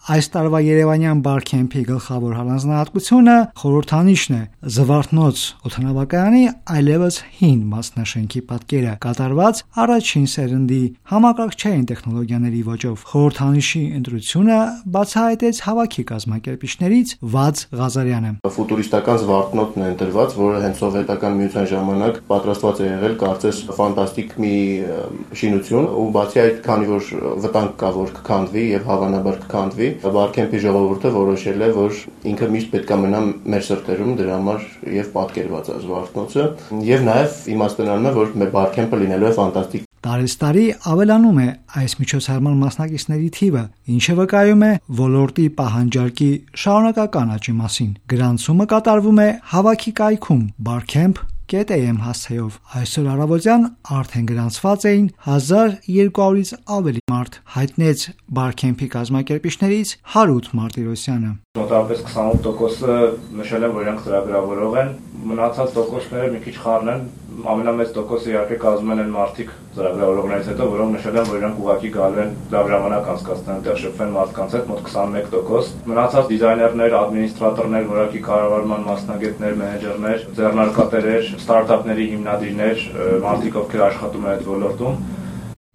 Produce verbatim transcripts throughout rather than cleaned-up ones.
Այս տարվա Երևանյան Բարքեմփի գլխավոր առանձնահատկությունը խորհրդանիշն է՝ Զվարթնոց օդանավակայանի այլևս հին մասնաշենքի պատկերը, կատարված առաջին սերնդի համակարգչային տեխնոլոգիաների ոճով։ Խորհրդանիշի ընտրությունը բացահայտեց հավաքի կազմակերպիչներից Վաձ Ղազարյանը։ Ֆուտուրիստական Զվարթնոտն է ընտրված, որը հենց սովետական միության ժամանակ պատրաստված է եղել, կարծես ֆանտաստիկ մի շինություն, ու բացի այդ, քանի որ վտանգ կա, որ կքանդվի եւ հավանաբար կքանդվի, Բարքեմփի ժողովուրդը որոշել է, որ ինքը միշտ պետք է մնա մեր սրտերում, դրա համար եւ պատկերված է Զվարթնոցը, եւ նաեւ իմաստանալն է, որ մեր Բարքեմփը լինելու է ֆանտաստիկ։ Տարեստարի ավելանում է այս միջոցառման մասնակիցների թիվը, ինչը վկայում է ոլորտի պահանջարկի շարունակական աճի մասին։ Գրանցումը կատարվում է հավաքի կայքում Barcamp կետ էյ էմ հասցեով։ Այսօր առավոտյան արդեն գրանցված էին հազար երկու հարյուրից ավելի մարդ, հայտնեց Բարքեմփի կազմակերպիչներից Հարութ Մարտիրոսյանը։ Մոտավորապես քսանութ տոկոսը նշել են, որ իրանք ծրագրավորող են, մնացած տոկոսները մի քիչ խառն են, ամենամեծ տոկոսը իհարկե կազմել են մարդիկ ծրագրավորողներից հետո, որոնք նշել են, որ իրանք ուղղակի գալու են լավ ժամանակ անցկացնեն, այնտեղ շփվեն մարդկանց հետ, մոտ քսանմեկ տոկոս։ Մնացած դիզայներներ, ադմինիստրատորներ, որակի կառավարման մասնագետներ, մենեջերներ, ձեռնարկատերեր, ստարտափների հիմնադիրներ, մարդիկ, ովքեր աշխատում են այդ ոլորտում։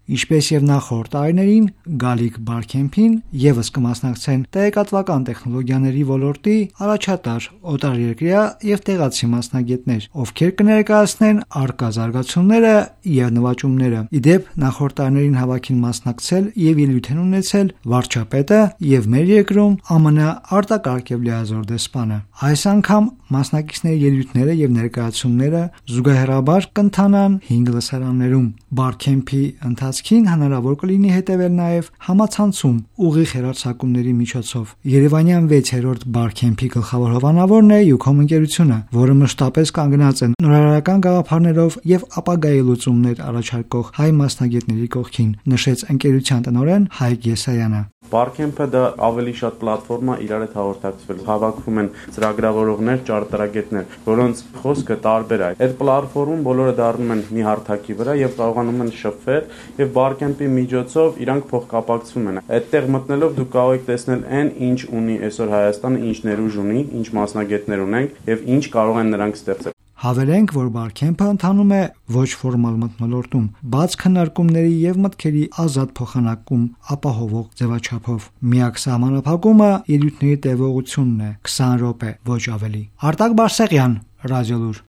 Ինչպես եւ նախորդ տարիներին, գալիք Բարքեմփին եւս կմասնակցեն տեղեկատվական տեխնոլոգիաների ոլորտի առաջատար օտարերկրյա եւ տեղացի մասնագետներ, ովքեր կներկայացնեն առկա զարգացումները եւ նվաճումները։ Իդեպ նախորդ տարիներին հավաքին մասնակցել եւ ելույթ են ունեցել վարչապետը եւ մեր երկրում Է Մը Ն արտակարգ եւ լիազոր դեսպանը։ Այս անգամ մասնակիցների ելույթները եւ ներկայացումները զուգահեռաբար կընթանան հինգ լսարաններում։ Բարքեմփի ընթացքին հնարավոր կլինի հետևել նաև համացանցում ուղիղ հեռարձակումների միջոցով։ Երևանյան վեցերորդ Բարքեմփի գլխավոր հովանավորն է Յուքոմ ընկերությունը, որը մշտապես կանգնած է նորարարական գաղափարներով եւ ապագայի լուծումներ առաջարկող հայ մասնագետների կողքին, նշեց ընկերության տնօրեն Հայկ Եսայանը։ Բարքեմփը դա ավելի շատ պլատֆորմա իրար հետ հաղորդակցվել։ Հավաքում են ծրագրավորողներ, ճարտարագետներ, որոնց խոսքը տարբեր է։ Այդ պլատֆորմում բոլորը դառնում են մի հարթակի վրա եւ կարողանում են շփվել եւ Բարքեմփի միջոցով իրանք փոխկապակցում են։ Այդտեղ մտնելով դուք կարող եք տեսնել այն, ինչ ունի այսօր Հայաստանը, ինչ ներուժ ունի, ինչ մասնագետներ ունենք եւ ինչ կարող են նրանք ստեղծել։ Հավելենք, որ Բարքեմփը ընթանում է ոչ ֆորմալ մթնոլորտում, բաց քննարկումների եւ մտքերի ազատ փոխանակում ապահովող ձևաչափով։ Միակ սահմանափակումը ելույթների տևողությունն է՝ քսան րոպե, ոչ ավելի։ Արտակ Բարսեղյան, Ռադիոլուր։